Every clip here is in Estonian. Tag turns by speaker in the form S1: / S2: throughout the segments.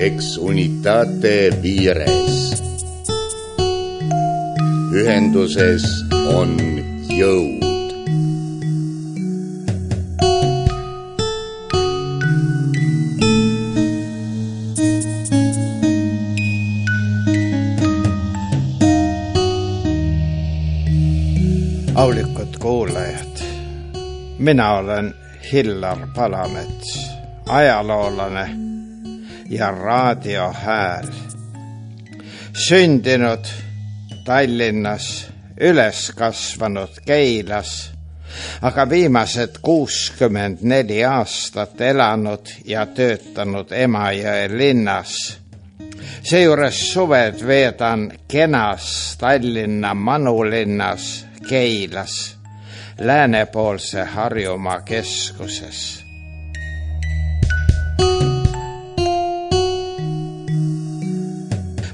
S1: Ex unitate vires. Ühenduses on jõud.
S2: Aulikud kuulajad, mina olen Hillar Palamets, ajaloolane ja raadiohääl. Sündinud Tallinnas, üles kasvanud Keilas, aga viimased 64 aastat elanud ja töötanud Emajõe linnas. Seejuures suved veedan kenas Tallinna manulinnas Keilas, läänepoolse Harjumaa keskuses.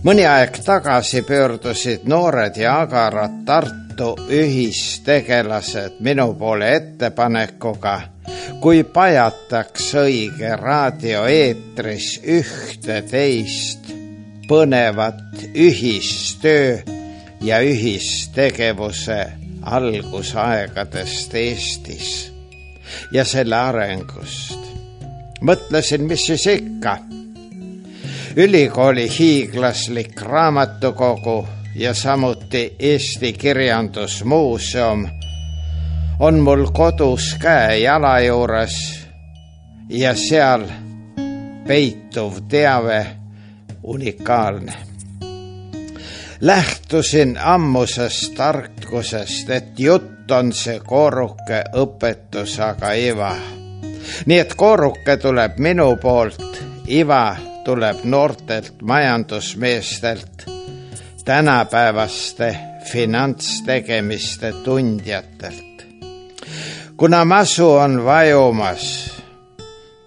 S2: Mõni aeg tagasi pöördusid noored ja agarad Tartu ühistegelased minu poole ettepanekuga, kui pajataks õige raadioeetris ühte teist põnevat ühistöö ja ühistegevuse algusaegadest Eestis ja selle arengust. Mõtlesin, mis siis ikka. Ülikooli hiiglaslik raamatukogu ja samuti Eesti Kirjandusmuuseum on mul kodus käe-jala juures ja seal peituv teave unikaalne. Lähtusin ammusest tarkusest, et jutt on see kooruke õpetus, aga iva. Nii et kooruke tuleb minu poolt, iva tuleb noortelt majandusmeestelt, tänapäevaste finantstegemiste tundjatelt. Kuna masu on vajumas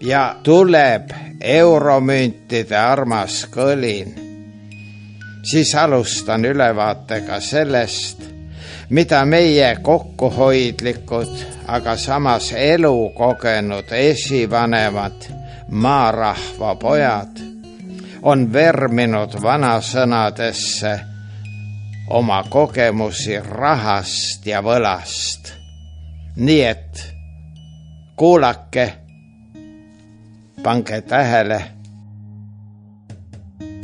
S2: ja tuleb euromüntide armas kõlin, siis alustan ülevaatega sellest, mida meie kokkuhoidlikud, aga samas elukogenud esivanemad maarahva pojad on verminud vanasõnadesse oma kogemusi rahast ja võlast. Nii et kuulake, pange tähele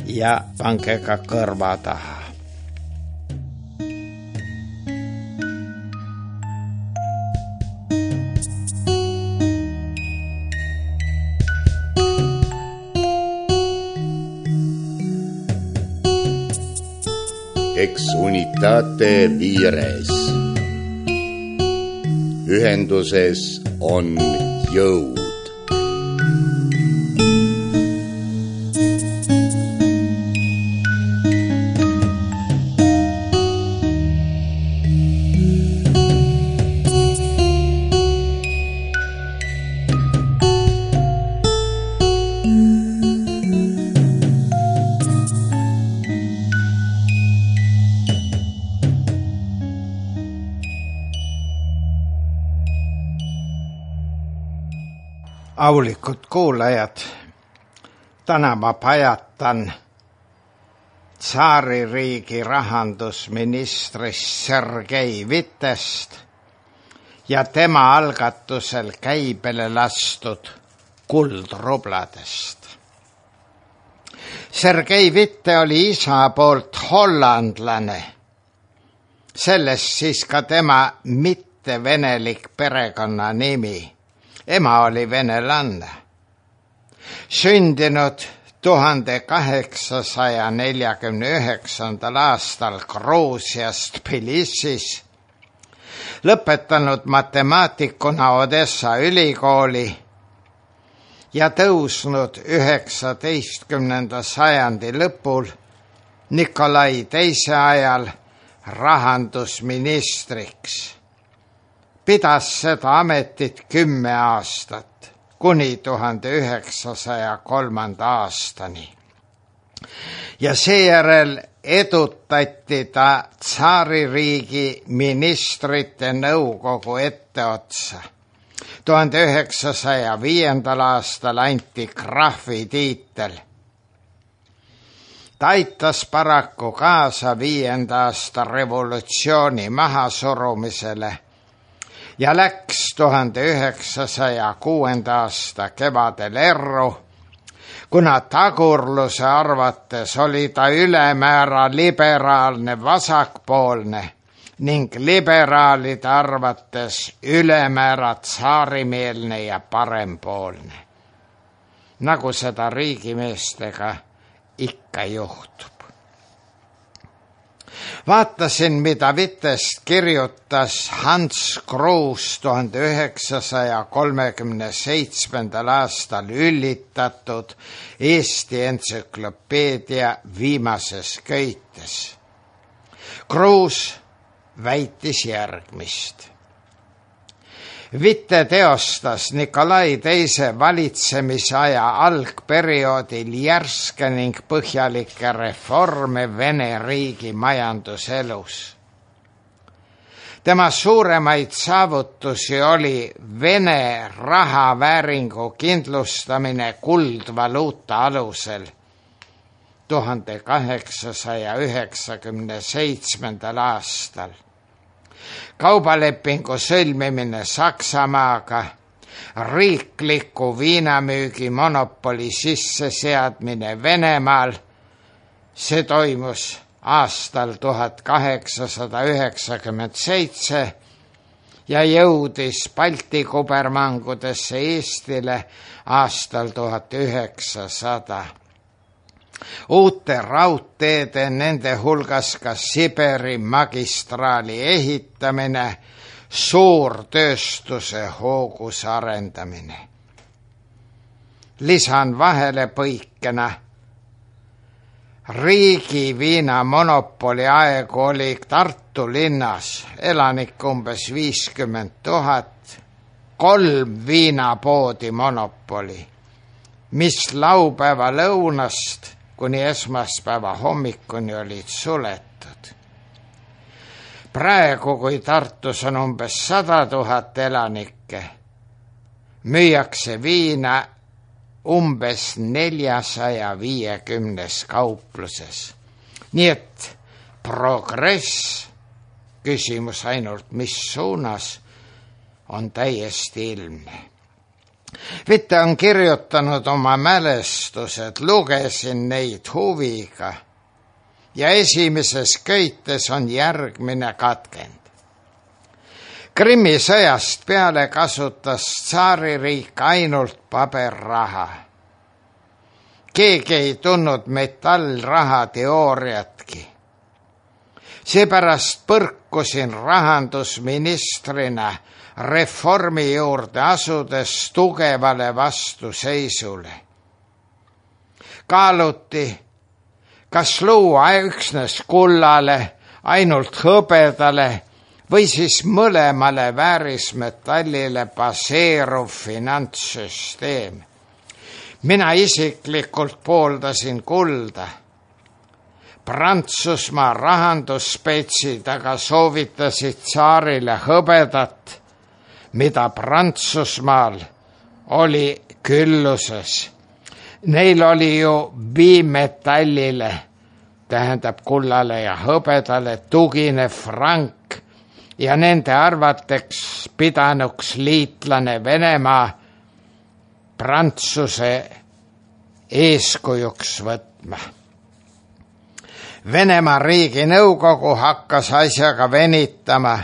S2: ja pange ka kõrva taha.
S1: Ex unitate vires. Ühenduses on jõud.
S2: Aulikud kuulajad, täna ma pajatan tsaaririigi rahandusministrist Sergei Vitest ja tema algatusel käibele lastud kuldrubladest. Sergei Vitte oli isa poolt hollandlane, sellest siis ka tema mittevenelik perekonnanimi. Ema oli venelanne. Sündinud 1849. aastal Gruusias Tbilisis, lõpetanud matemaatikuna Odessa ülikooli ja tõusnud 19. sajandi lõpul Nikolai II ajal rahandusministriks. Pidas seda ametit 10 aastat, kuni 1903. aastani. Ja seejärel edutati ta tsaaririigi ministrite nõukogu etteotsa. 1905. aastal anti krahvi tiitel ta aitas paraku kaasa 5. aasta revolutsiooni mahasurumisele ja läks 1906. aasta kevadel erru, kuna tagurluse arvates oli ta ülemäära liberaalne vasakpoolne ning liberaalide arvates ülemäära tsaarimeelne ja parempoolne, nagu seda riigimeestega ikka juhtub. Vaatasin, mida Vitest kirjutas Hans Kruus 1937. aastal üllitatud Eesti entsüklopeedia viimases köites. Kruus väitis järgmist. Witte teostas Nikolai II valitsemisaja algperioodil järske ning põhjalikke reforme Vene riigi majanduselus. Tema suuremaid saavutusi oli Vene rahavääringu kindlustamine kuldvaluuta alusel 1897. aastal. Kaubalepingu sõlmimine Saksamaaga, riikliku viinamüügi monopoli sisseseadmine Venemaal, see toimus aastal 1897 ja jõudis Balti kubermangudesse Eestile aastal 1900. Uute raudteede, nende hulgas ka Siberi magistraali ehitamine, suurtööstuse hoogus arendamine. Lisan vahele põikena. Riigi viinamonopoli aegu oli Tartu linnas elanik umbes 50 000, 3 viinapoodi monopoli, mis laupäeva lõunast kuni esmaspäeva hommikuni olid suletud. Praegu, kui Tartus on umbes 100 000 elanikke, müüakse viina umbes 450 kaupluses. Nii et progress, küsimus ainult mis suunas, on täiesti ilmne. Witte on kirjutanud oma mälestused, lugesin neid huviga ja esimeses köites on järgmine katkend. Krimmi sõjast peale kasutas tsaaririik ainult paberraha. Keegi ei tundnud metallraha teooriatki. Seepärast põrkusin rahandusministrina reformi juurde asudes tugevale vastuseisule. Kaaluti, kas luua üksnes kullale, ainult hõbedale või siis mõlemale väärismetallile baseeruv finantssüsteem. Mina isiklikult pooldasin kulda. Prantsusmaa rahandusspetsid aga soovitasid tsaarile hõbedat, mida Prantsusmaal oli külluses. Neil oli ju bimetallile, tähendab kullale ja hõbedale tuginev frank ja nende arvateks pidanuks liitlane Venemaa Prantsuse eeskujuks võtma. Venemaa Riiginõukogu hakkas asjaga venitama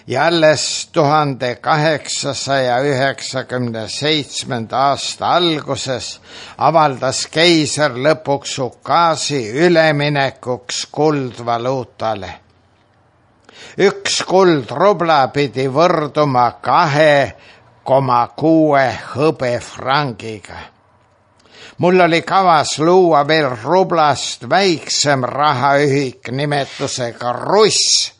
S2: ja alles 1897. aasta alguses avaldas keiser lõpuks ukaasi üleminekuks kuldvaluutale. 1 kuldrubla pidi võrduma 2,6 hõbefrangiga. Mul oli kavas luua veel rublast väiksem rahaühik nimetusega russ,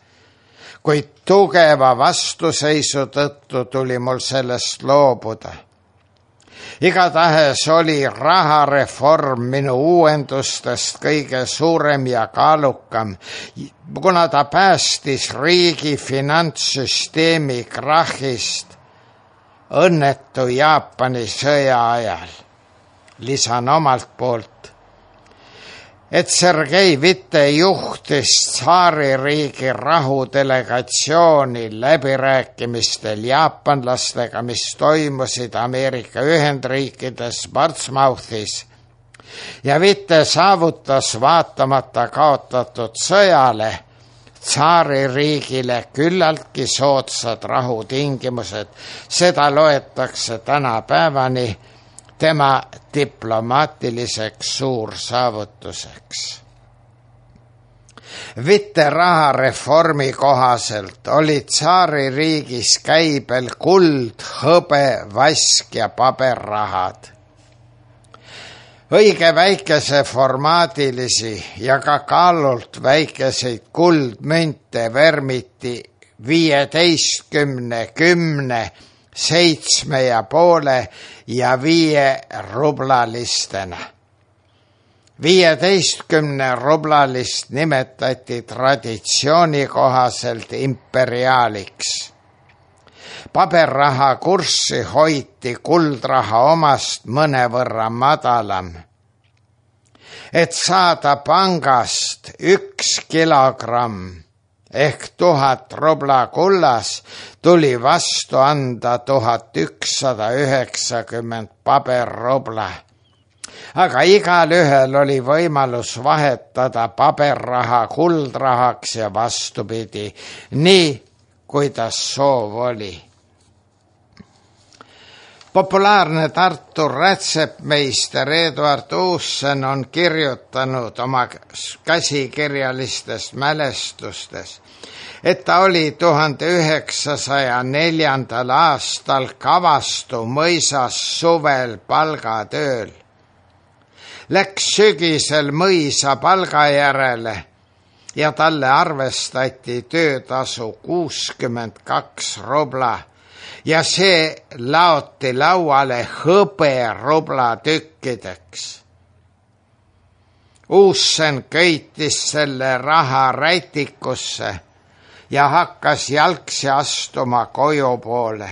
S2: kuid tugeva vastuseisu tõttu tuli mul sellest loobuda. Igatahes oli rahareform minu uuendustest kõige suurem ja kaalukam, kuna ta päästis riigi finantssüsteemi krahhist õnnetu Jaapani sõja ajal. Lisan omalt poolt, et Sergei Witte juhtis tsaaririigi rahudelegatsiooni läbirääkimistel jaapanlastega, mis toimusid Ameerika Ühendriikides Portsmouthis, ja Witte saavutas vaatamata kaotatud sõjale tsaaririigile küllaltki soodsad rahutingimused. Seda loetakse tänapäevani tema diplomaatiliseks suursaavutuseks. Witte rahareformi kohaselt oli tsaaririigis käibel kuld, hõbe, vask ja paberrahad. Õige väikese formaadilisi ja ka kaalult väikeseid kuldmünte vermiti 15, 10, 7,5 ja 5 rublalistena. 15 rublalist nimetati traditsiooni kohaselt imperiaaliks. Paberraha kurssi hoiti kuldraha omast mõnevõrra madalam. Et saada pangast 1 kilogramm ehk 1000 rubla kullas, tuli vastu anda 1190 paberrubla. Aga igal ühel oli võimalus vahetada paberraha kuldrahaks ja vastupidi, nii kuidas soov oli. Populaarne Tartu rätsepmeister Eduard Uussen on kirjutanud oma käsikirjalistest mälestustes, et ta oli 1904. aastal Kavastu mõisas suvel palgatööl. Läks sügisel mõisa palga järele ja talle arvestati töötasu 62 rubla ja see laoti lauale hõberubla tükkideks. Uussen köitis selle raha rätikusse ja hakkas jalgsi astuma koju poole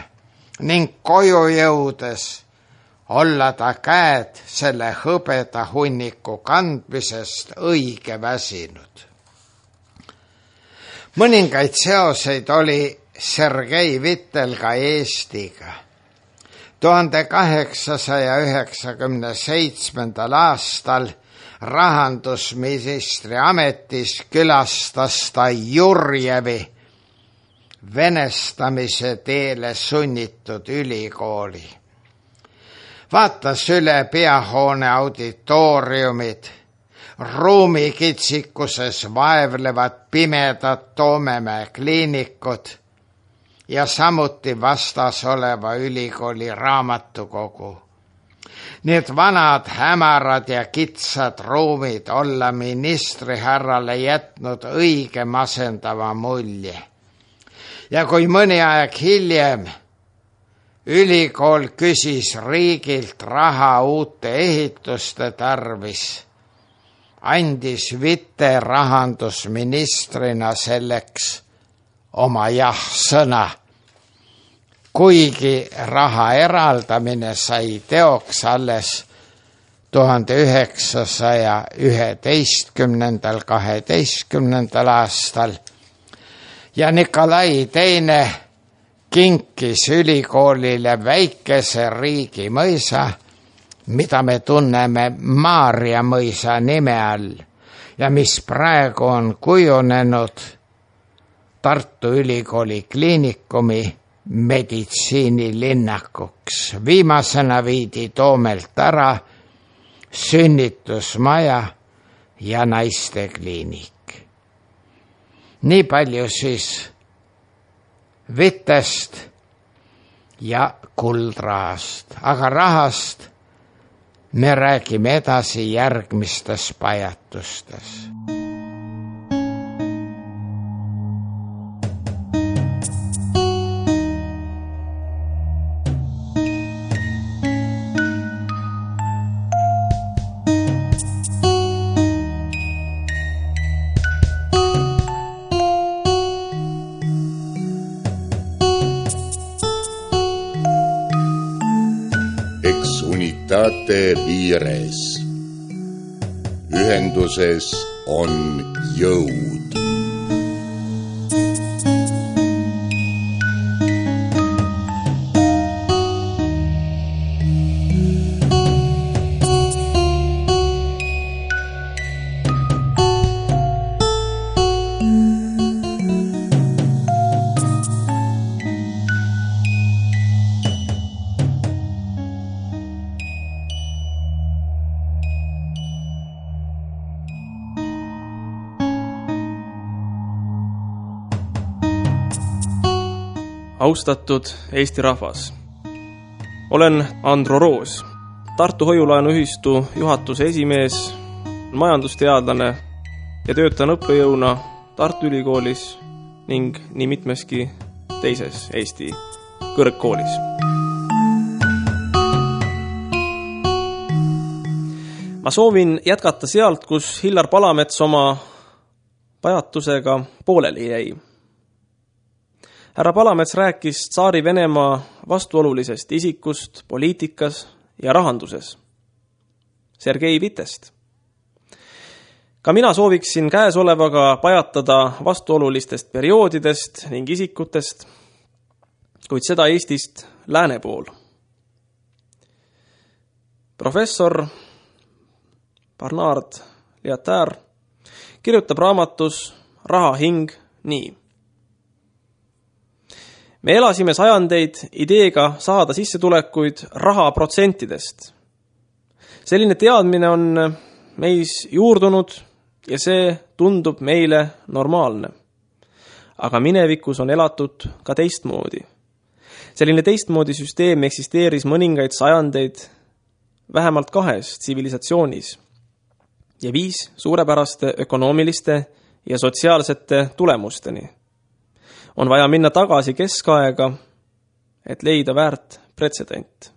S2: ning koju jõudes olla ta käed selle hõbeda hunniku kandmisest õige väsinud. Mõningaid seoseid oli Sergei Wittel ka Eestiga. 1897. aastal rahandusministri ametis külastas ta Jurjevi venestamise teele sunnitud ülikooli. Vaatas üle peahoone auditooriumid, ruumikitsikuses vaevlevad pimedad Toomemäe kliinikud ja samuti vastas oleva ülikooli raamatukogu. Need vanad, hämarad ja kitsad ruumid olla ministrihärrale jätnud õige masendava mulje. Ja kui mõni aeg hiljem ülikool küsis riigilt raha uute ehituste tarvis, andis Witte rahandusministrina selleks oma jah-sõna, kuigi raha eraldamine sai teoks alles 1911.–12. aastal ja Nikolai II kinkis ülikoolile väikese riigimõisa, mida me tunneme Maarja mõisa nime all ja mis praegu on kujunenud Tartu Ülikooli kliinikumi meditsiinilinnakuks. Viimasena viidi Toomelt ära sünnitusmaja ja naistekliinik. Nii palju siis Wittest ja kuldrahast, aga rahast me räägime edasi järgmistes pajatustes.
S1: Ex unitate vires. Ühenduses on jõud.
S3: Austatud Eesti rahvas. Olen Andro Roos, Tartu Hoiulaenuühistu juhatuse esimees, majandusteadlane ja töötan õppejõuna Tartu Ülikoolis ning nii mitmeski teises Eesti kõrgkoolis. Ma soovin jätkata sealt, kus Hillar Palamets oma pajatusega pooleli jäi. Härra Palamets rääkis tsaari Venemaa vastuolulisest isikust poliitikas ja rahanduses, Sergei Vitest. Ka mina sooviksin käesolevaga pajatada vastuolulistest perioodidest ning isikutest, kuid seda Eestist lääne pool. Professor Bernard Lietaer kirjutab raamatus Raha hing nii. Me elasime sajandeid ideega saada sissetulekuid raha protsentidest. Selline teadmine on meis juurdunud ja see tundub meile normaalne. Aga minevikus on elatud ka teistmoodi. Selline teistmoodi süsteem eksisteeris mõningaid sajandeid vähemalt 2 tsivilisatsioonis ja 5 suurepäraste ökonoomiliste ja sotsiaalsete tulemusteni. On vaja minna tagasi keskaega, et leida väärt pretsedent.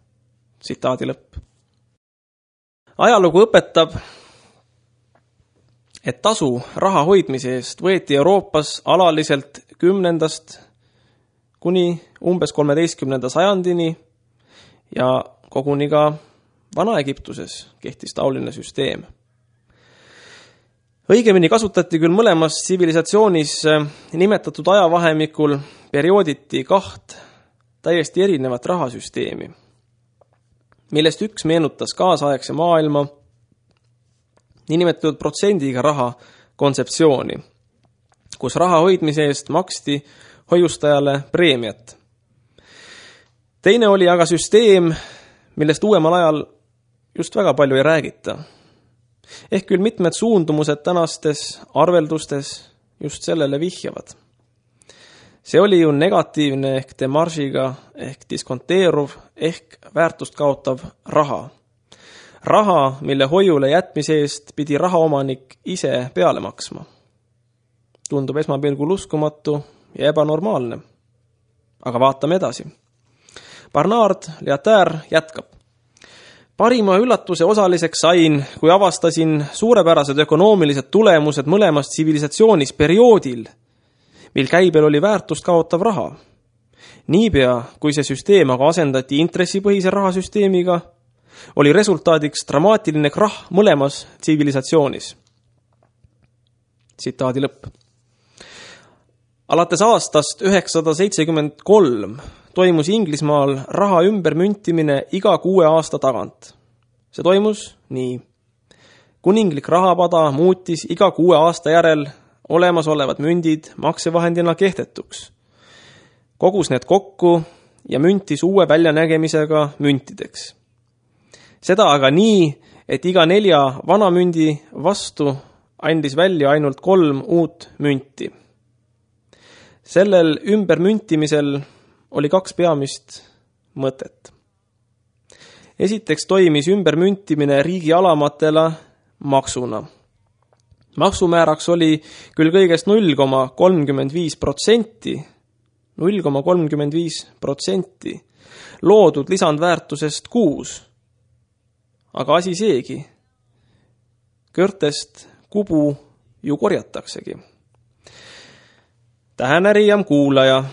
S3: Tsitaadi lõpp. Ajalugu õpetab, et tasu raha hoidmise eest võeti Euroopas alaliselt 10. kuni umbes 13. sajandini ja koguni ka Vana-Egiptuses kehtis taoline süsteem. Õigemini kasutati küll mõlemas tsivilisatsioonis nimetatud ajavahemikul periooditi 2 täiesti erinevat rahasüsteemi, millest üks meenutas kaasaegse maailma niinimetatud protsendiga raha kontseptsiooni, kus raha hoidmise eest maksti hoiustajale preemiat. Teine oli aga süsteem, millest uuemal ajal just väga palju ei räägita. Ehk küll mitmed suundumused tänastes arveldustes just sellele vihjavad. See oli ju negatiivne ehk demaržiga ehk diskonteeruv ehk väärtust kaotav raha. Raha, mille hoiule jätmise eest pidi rahaomanik ise peale maksma. Tundub esmapilgul uskumatu ja ebanormaalne. Aga vaatame edasi. Bernard Lietaer jätkab. Parima üllatuse osaliseks sain, kui avastasin suurepärased ökonoomilised tulemused mõlemas tsivilisatsioonis perioodil, mil käibel oli väärtust kaotav raha. Niipea, kui see süsteem aga asendati intressipõhise rahasüsteemiga, oli resultaadiks dramaatiline krahh mõlemas tsivilisatsioonis. Tsitaadi lõpp. Alates aastast 973 toimus Inglismaal raha ümbermüntimine iga 6 aasta tagant. See toimus nii. Kuninglik rahapada muutis iga 6 aasta järel olemasolevad mündid maksevahendina kehtetuks. Kogus need kokku ja müntis uue väljanägemisega müntideks. Seda aga nii, et iga 4 vana mündi vastu andis välja ainult 3 uut münti. Sellel ümbermüntimisel oli 2 peamist mõtet. Esiteks toimis ümbermüntimine riigi alamatele maksuna. Maksumääraks oli küll kõigest 0,35%, 0,35% loodud lisandväärtusest kuus. Aga asi seegi. Kõrtest kubu ju korjataksegi. Tähenerijam kuulaja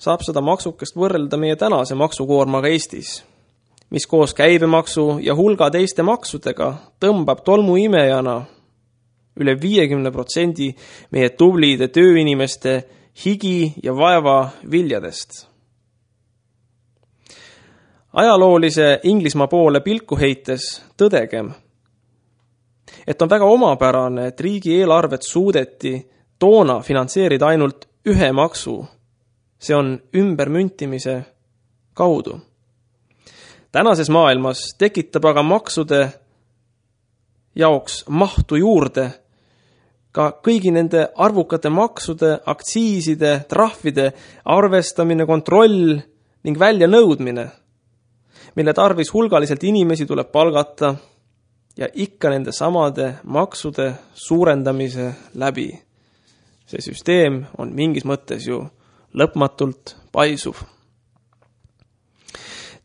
S3: saab seda maksukest võrrelda meie tänase maksukoormaga Eestis, mis koos käibemaksu ja hulga teiste maksudega tõmbab tolmuimejana üle 50% meie tublide tööinimeste higi ja vaeva viljadest. Ajaloolise Inglismaa poole pilku heites tõdegem, et on väga omapärane, et riigieelarvet suudeti toona finantseerida ainult ühe maksu, see on ümbermüntimise kaudu. Tänases maailmas tekitab aga maksude jaoks mahtu juurde ka kõigi nende arvukate maksude, aktsiiside, trahvide arvestamine, kontroll ning väljanõudmine, mille tarvis hulgaliselt inimesi tuleb palgata ja ikka nende samade maksude suurendamise läbi. See süsteem on mingis mõttes ju lõpmatult paisuv.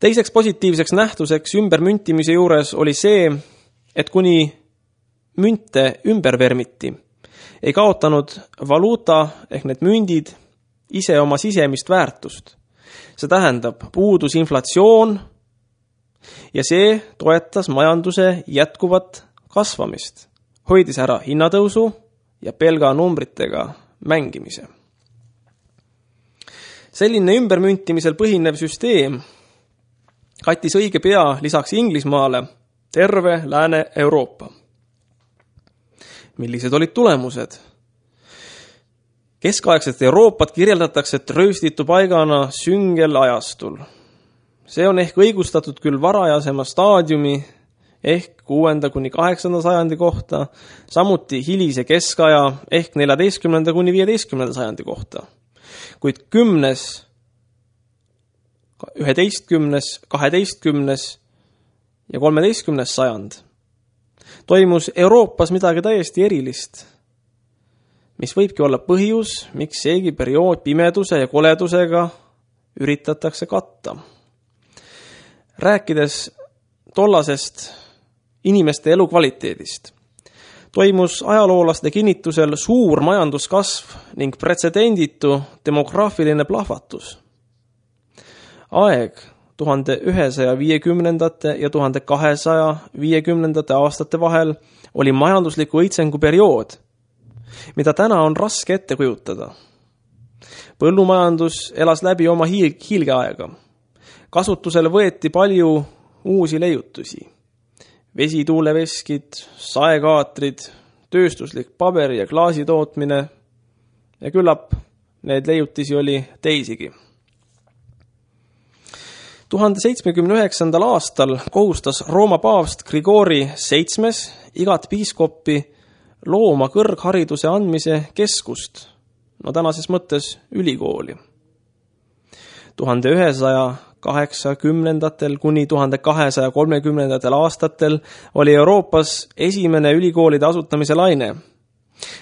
S3: Teiseks positiivseks nähtuseks ümbermüntimise juures oli see, et kuni münte ümber vermiti, ei kaotanud valuuta ehk need mündid ise oma sisemist väärtust. See tähendab puudus inflatsioon ja see toetas majanduse jätkuvat kasvamist, hoidis ära hinnatõusu ja pelga numbritega mängimise. Selline ümbermüntimisel põhinev süsteem kattis õige pea lisaks Inglismaale terve Lääne-Euroopa. Millised olid tulemused? Keskaegset Euroopat kirjeldatakse trööstitu paigana süngel ajastul. See on ehk õigustatud küll varajasema staadiumi ehk 6. kuni 8. sajandi kohta, samuti hilise keskaja ehk 14. kuni 15. sajandi kohta. Kuid 10., 11., 12. ja 13. sajand toimus Euroopas midagi täiesti erilist, mis võibki olla põhjus, miks seegi periood pimeduse ja koledusega üritatakse katta. Rääkides tollasest inimeste elukvaliteedist, toimus ajaloolaste kinnitusel suur majanduskasv ning pretsedenditu demograafiline plahvatus. Aeg 1150. ja 1250. aastate vahel oli majandusliku õitsengu periood, mida täna on raske ette kujutada. Põllumajandus elas läbi oma hiilgeaega. Kasutusele võeti palju uusi leiutusi. Vesituuleveskid, saekaatrid, tööstuslik paberi- ja klaasitootmine ja küllap need leiutisi oli teisigi. 1079. aastal kohustas Rooma paavst Grigori VII igat piiskoppi looma kõrghariduse andmise keskust, tänases mõttes ülikooli. 1180. kuni 1230. aastatel oli Euroopas esimene ülikoolide asutamise laine.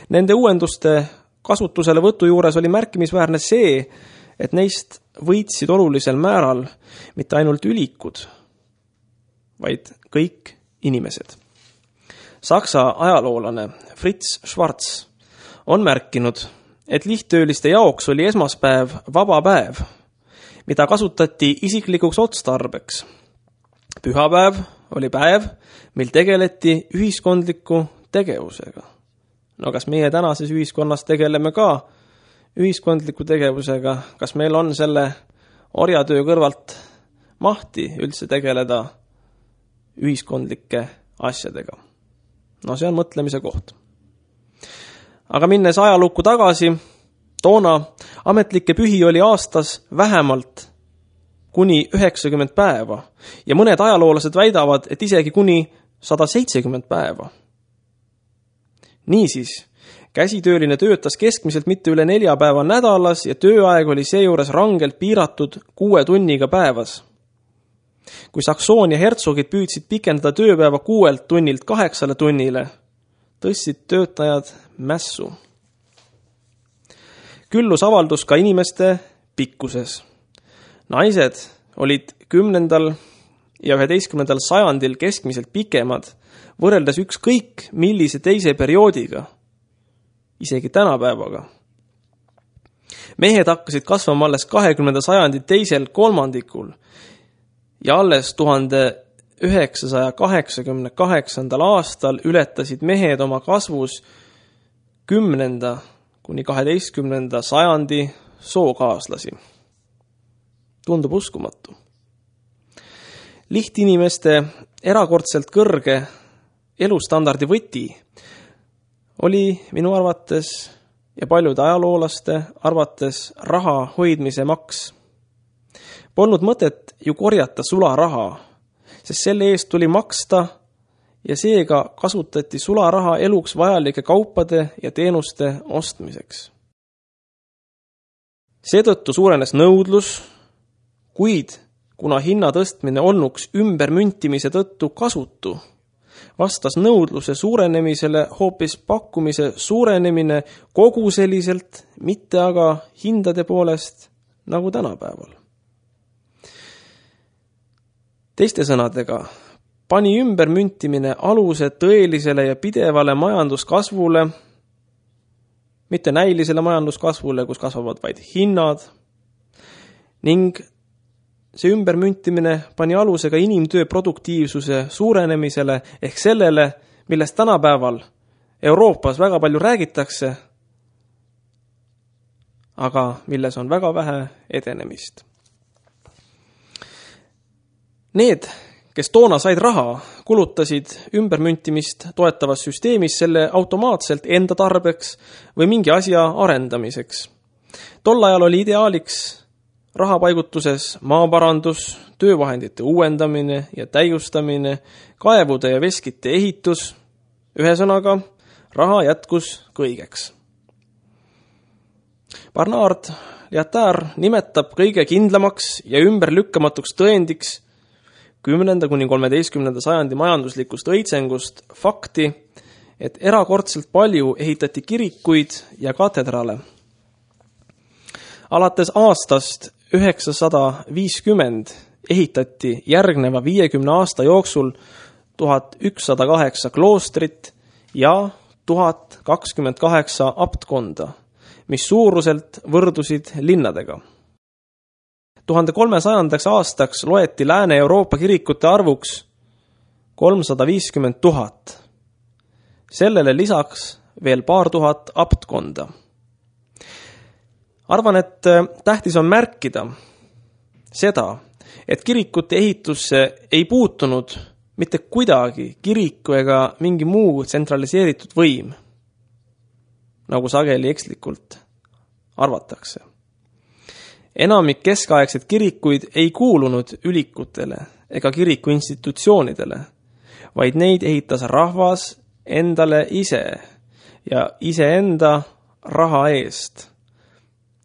S3: Nende uuenduste kasutusele võtu juures oli märkimisväärne see, et neist võitsid olulisel määral mitte ainult ülikud, vaid kõik inimesed. Saksa ajaloolane Fritz Schwarz on märkinud, et lihttööliste jaoks oli esmaspäev vaba päev, mida kasutati isiklikuks otstarbeks. Pühapäev oli päev, mil tegeleti ühiskondliku tegevusega. Kas meie tänases ühiskonnas tegeleme ka ühiskondliku tegevusega, kas meil on selle orjatöö kõrvalt mahti üldse tegeleda ühiskondlike asjadega? See on mõtlemise koht. Aga minnes ajalukku tagasi, toona ametlikke pühi oli aastas vähemalt kuni 90 päeva ja mõned ajaloolased väidavad, et isegi kuni 170 päeva. Niisiis, käsitööline töötas keskmiselt mitte üle 4 päeva nädalas ja tööaeg oli seejuures rangelt piiratud 6 tunniga päevas. Kui Saksoonia hertsogid püüdsid pikendada tööpäeva 6 tunnilt 8 tunnile, tõstsid töötajad mässu. Küllus avaldus ka inimeste pikkuses. Naised olid 10. ja 11. sajandil keskmiselt pikemad, võrreldes ükskõik millise teise perioodiga, isegi tänapäevaga. Mehed hakkasid kasvama alles 20. sajandi teisel kolmandikul ja alles 1988. aastal ületasid mehed oma kasvus 10. kuni 12. sajandi sookaaslasi. Tundub uskumatu. Lihtinimeste erakordselt kõrge elustandardi võti oli minu arvates ja paljude ajaloolaste arvates raha hoidmise maks. Polnud mõtet ju korjata sularaha, sest selle eest tuli maksta ja seega kasutati sularaha eluks vajalike kaupade ja teenuste ostmiseks. Seetõttu suurenes nõudlus, kuid kuna hinna tõstmine olnuks ümbermüntimise tõttu kasutu, vastas nõudluse suurenemisele hoopis pakkumise suurenemine koguseliselt, mitte aga hindade poolest nagu tänapäeval. Teiste sõnadega, pani ümbermüntimine aluse tõelisele ja pidevale majanduskasvule, mitte näilisele majanduskasvule, kus kasvavad vaid hinnad, ning see ümbermüntimine pani aluse ka inimtöö produktiivsuse suurenemisele ehk sellele, millest tänapäeval Euroopas väga palju räägitakse, aga milles on väga vähe edenemist. Need, kes toona said raha, kulutasid ümbermüntimist toetavas süsteemis selle automaatselt enda tarbeks või mingi asja arendamiseks. Tol ajal oli ideaaliks rahapaigutuses maaparandus, töövahendite uuendamine ja täiustamine, kaevude ja veskite ehitus, ühesõnaga raha jätkus kõigeks. Barnard Lietaer nimetab kõige kindlamaks ja ümberlükkamatuks tõendiks 10. kuni 13. sajandi majanduslikust õitsengust fakti, et erakordselt palju ehitati kirikuid ja katedrale. Alates aastast 950 ehitati järgneva 50 aasta jooksul 1108 kloostrit ja 1028 aptkonda, mis suuruselt võrdusid linnadega. 1300. aastaks loeti Lääne-Euroopa kirikute arvuks 350 000. Sellele lisaks veel paar tuhat aptkonda. Arvan, et tähtis on märkida seda, et kirikute ehitusse ei puutunud mitte kuidagi kiriku ega mingi muu tsentraliseeritud võim, nagu sageli ekslikult arvatakse. Enamik keskaegseid kirikuid ei kuulunud ülikutele ega kiriku institutsioonidele, vaid neid ehitas rahvas endale ise ja iseenda raha eest.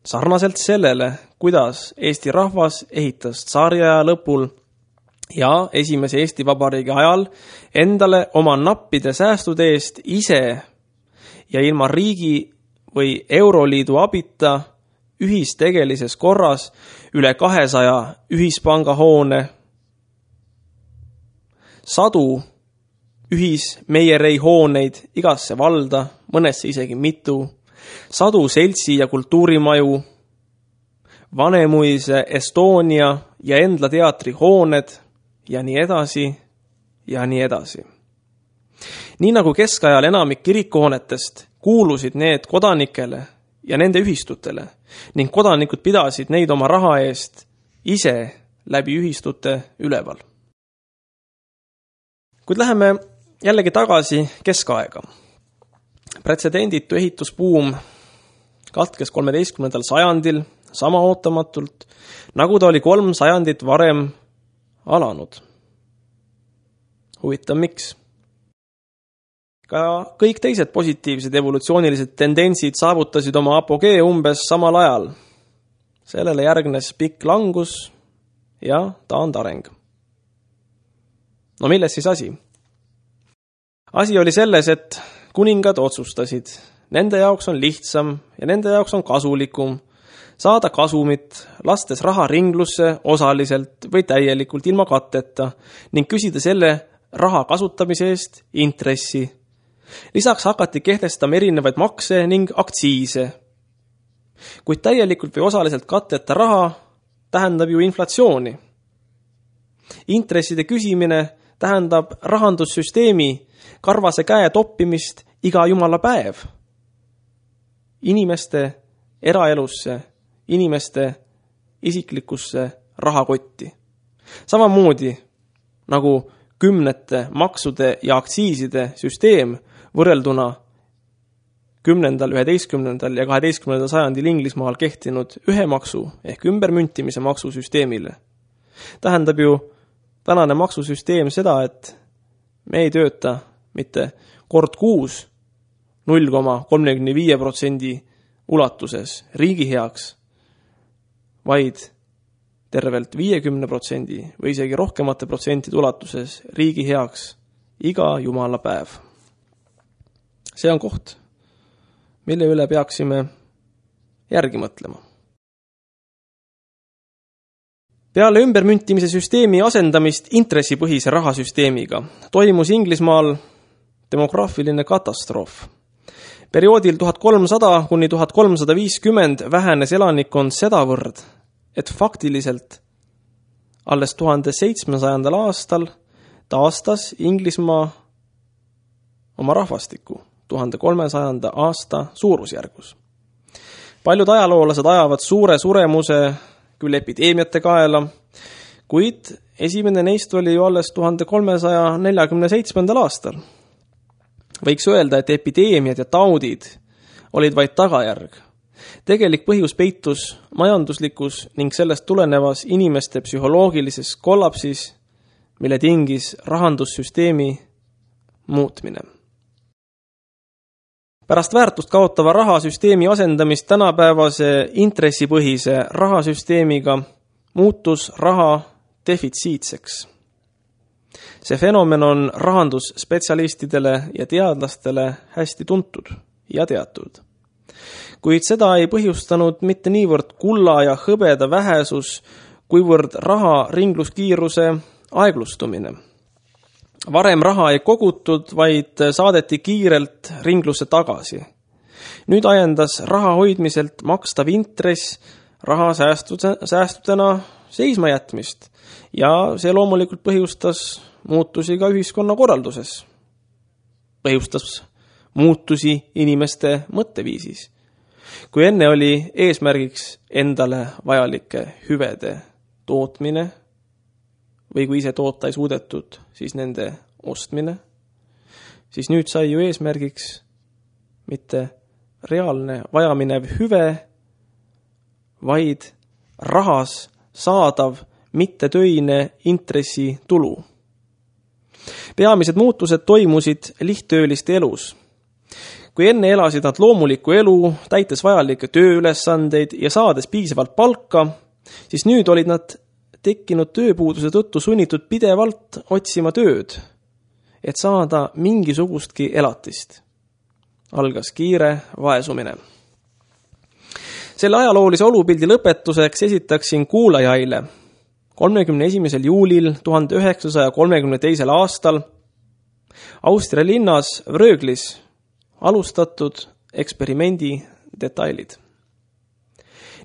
S3: Sarnaselt sellele, kuidas Eesti rahvas ehitas tsaariaja lõpul ja esimese Eesti Vabariigi ajal endale oma nappide säästude eest ise ja ilma riigi või Euroliidu abita ühistegelises korras üle 200 ühispangahoone, 100 ühismeierei-hooneid igasse valda, mõnesse isegi mitu, 100 seltsi- ja kultuurimaju, Vanemuise, Estonia ja Endla teatri hooned ja nii edasi ja nii edasi. Nii nagu keskajal enamik kirikuhoonetest kuulusid need kodanikele ja nende ühistutele ning kodanikud pidasid neid oma raha eest ise läbi ühistute üleval. Kuid läheme jällegi tagasi keskaega. Pretsedenditu ehitusbuum katkes 13. sajandil sama ootamatult, nagu ta oli 3 sajandit varem alanud. Huvitav, miks? Ka kõik teised positiivsed evolutsioonilised tendentsid saavutasid oma apogee umbes samal ajal. Sellele järgnes pikk langus ja taandareng. No milles siis asi? Asi oli selles, et kuningad otsustasid, nende jaoks on lihtsam ja nende jaoks on kasulikum saada kasumit, lastes raha ringlusse osaliselt või täielikult ilma katteta ning küsida selle raha kasutamise eest intressi. Lisaks hakati kehtestama erinevaid makse ning aktsiise. Kuid täielikult või osaliselt katteta raha tähendab ju inflatsiooni. Intresside küsimine tähendab rahandussüsteemi karvase käe toppimist iga jumala päev. Inimeste eraelusse, inimeste isiklikusse rahakotti. Samamoodi nagu kümnete maksude ja aktsiiside süsteem võrrelduna 10., 11. ja 12. sajandil Inglismaal kehtinud ühe maksu ehk ümbermüntimise maksusüsteemile. Tähendab ju tänane maksusüsteem seda, et me ei tööta mitte kord kuus 0,35% ulatuses riigi heaks, vaid tervelt 50% või isegi rohkemate protsentide ulatuses riigi heaks iga jumala päev. See on koht, mille üle peaksime järgi mõtlema. Peale ümbermüntimise süsteemi asendamist intressipõhise rahasüsteemiga toimus Inglismaal demograafiline katastroof. Perioodil 1300 kuni 1350 vähenes elanikkond sedavõrd, et faktiliselt alles 1700. aastal taastas Inglismaa oma rahvastiku 1300. aasta suurusjärgus. Paljud ajaloolased ajavad suure suremuse küll epideemiate kaela, kuid esimene neist oli ju alles 1347. aastal. Võiks öelda, et epideemiad ja taudid olid vaid tagajärg. Tegelik põhjus peitus majanduslikus ning sellest tulenevas inimeste psühholoogilises kollapsis, mille tingis rahandussüsteemi muutmine. Pärast väärtust kaotava rahasüsteemi asendamist tänapäevase intressipõhise rahasüsteemiga muutus raha defitsiitseks. See fenomen on rahandusspetsialistidele ja teadlastele hästi tuntud ja teatud. Kuid seda ei põhjustanud mitte niivõrd kulla ja hõbeda vähesus, kuivõrd raha ringluskiiruse aeglustumine. Varem raha ei kogutud, vaid saadeti kiirelt ringlusse tagasi. Nüüd ajendas raha hoidmiselt makstav intress raha säästudena seisma jätmist ja see loomulikult põhjustas muutusi ka ühiskonna korralduses. Põhjustas muutusi inimeste mõtteviisis. Kui enne oli eesmärgiks endale vajalike hüvede tootmine või kui ise toota ei suudetud, siis nende ostmine, siis nüüd sai ju eesmärgiks mitte reaalne vajaminev hüve, vaid rahas saadav mittetöine intressitulu. Peamised muutused toimusid lihttööliste elus. Kui enne elasid nad loomulikku elu, täites vajalikke tööülesandeid ja saades piisavalt palka, siis nüüd olid nad tekkinud tööpuuduse tõttu sunnitud pidevalt otsima tööd, et saada mingisugustki elatist. Algas kiire vaesumine. Selle ajaloolise olupildi lõpetuseks esitaksin kuulajaile 31. juulil 1932. aastal Austria linnas Vröglis alustatud eksperimendi detailid.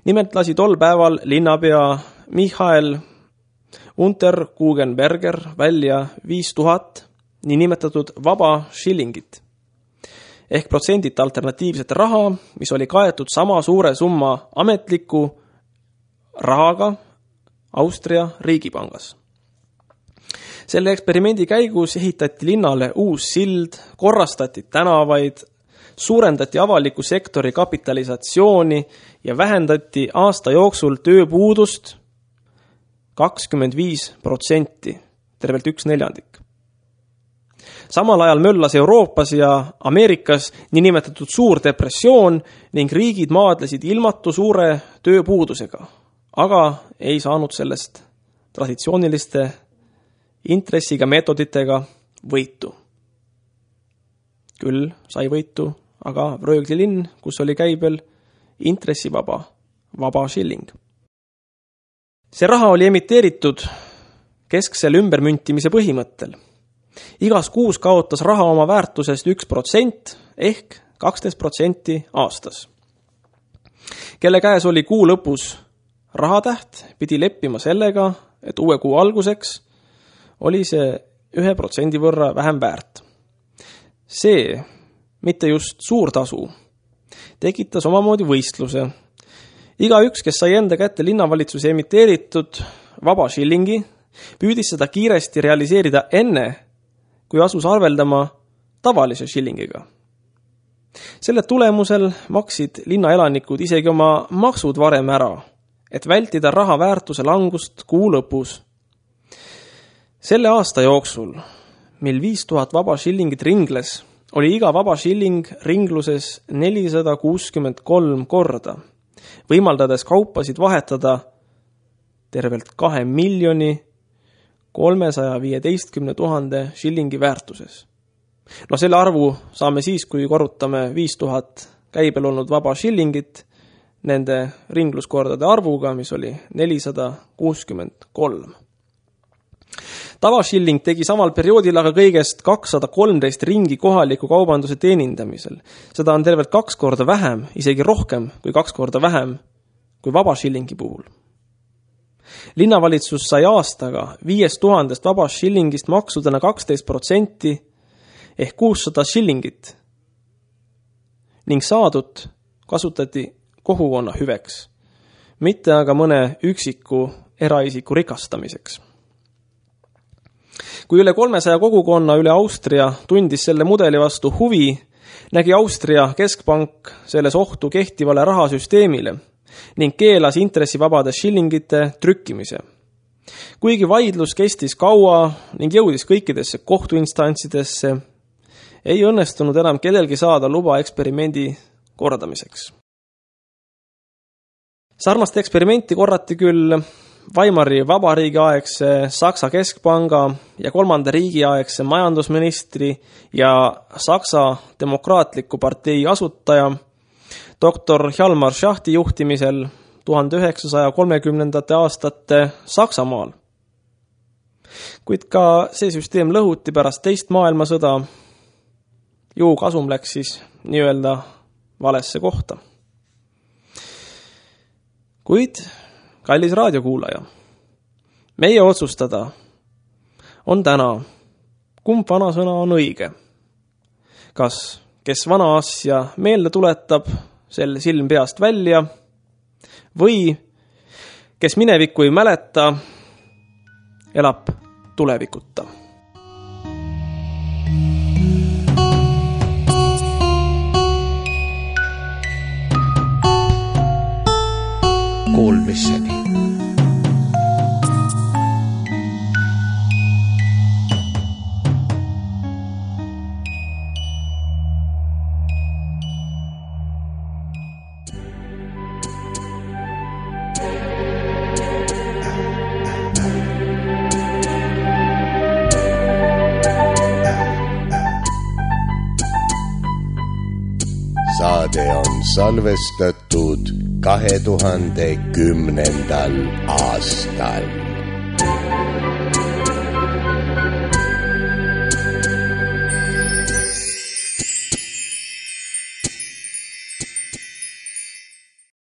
S3: Nimelt lasi tol päeval linnapea Michael Unterkugenberger välja 5000 niinimetatud vaba shillingit ehk protsendita alternatiivset raha, mis oli kaetud sama suure summa ametliku rahaga Austria riigipangas. Selle eksperimendi käigus ehitati linnale uus sild, korrastati tänavaid, suurendati avaliku sektori kapitalisatsiooni ja vähendati aasta jooksul tööpuudust 25%, tervelt 1/4. Samal ajal möllas Euroopas ja Ameerikas niinimetatud suur depressioon ning riigid maadlesid ilmatu suure tööpuudusega, aga ei saanud sellest traditsiooniliste intressiga meetoditega võitu. Küll sai võitu aga Vrögli linn, kus oli käibel intressivaba shilling. See raha oli emiteeritud kesksel ümbermüntimise põhimõttel. Igas kuus kaotas raha oma väärtusest 1% ehk 12% aastas. Kelle käes oli kuu lõpus rahatäht, pidi leppima sellega, et uue kuu alguseks oli see 1% võrra vähem väärt. See, mitte just suur tasu, tekitas omamoodi võistluse. Igaüks, kes sai enda kätte linnavalitsuse emiteeritud vaba shillingi, püüdis seda kiiresti realiseerida enne, kui asus arveldama tavalise shillingiga. Selle tulemusel maksid linnaelanikud isegi oma maksud varem ära, et vältida raha väärtuse langust kuu lõpus. Selle aasta jooksul, mil 5000 vaba shillingit ringles, oli iga vaba shilling ringluses 463 korda, võimaldades kaupasid vahetada tervelt 2 315 000 shillingi väärtuses. No selle arvu saame siis, kui korrutame 5000 käibel olnud vaba shillingit nende ringluskordade arvuga, mis oli 463. Tavashilling tegi samal perioodil aga kõigest 213 ringi kohaliku kaubanduse teenindamisel. Seda on tervelt 2 korda vähem, isegi rohkem kui 2 korda vähem kui vaba shillingi puhul. Linnavalitsus sai aastaga 5000 vaba shillingist maksudena 12% ehk 600 shillingit ning saadut kasutati kogukonna hüveks, mitte aga mõne üksiku eraisiku rikastamiseks. Kui üle 300 kogukonna üle Austria tundis selle mudeli vastu huvi, nägi Austria keskpank selles ohtu kehtivale rahasüsteemile ning keelas intressivabade shillingite trükkimise. Kuigi vaidlus kestis kaua ning jõudis kõikidesse kohtuinstantsidesse, ei õnnestunud enam kellelgi saada luba eksperimendi kordamiseks. Sarnast eksperimenti korrati küll Weimari vabariigi aegse Saksa keskpanga ja 3. riigi aegse majandusministri ja Saksa demokraatliku partei asutaja doktor Hjalmar Schachti juhtimisel 1930. aastate Saksamaal. Kuid ka see süsteem lõhuti pärast teist maailmasõda. Ju kasum läks siis nii-öelda valesse kohta. Kuid, kallis raadiokuulaja, meie otsustada on täna, kumb vanasõna on õige. Kas, kes vana asja meelde tuletab, sel silm peast välja, või kes minevikku ei mäleta, elab tulevikuta.
S1: Kuulmiseni. Saade on salvestatud 2010. aastal.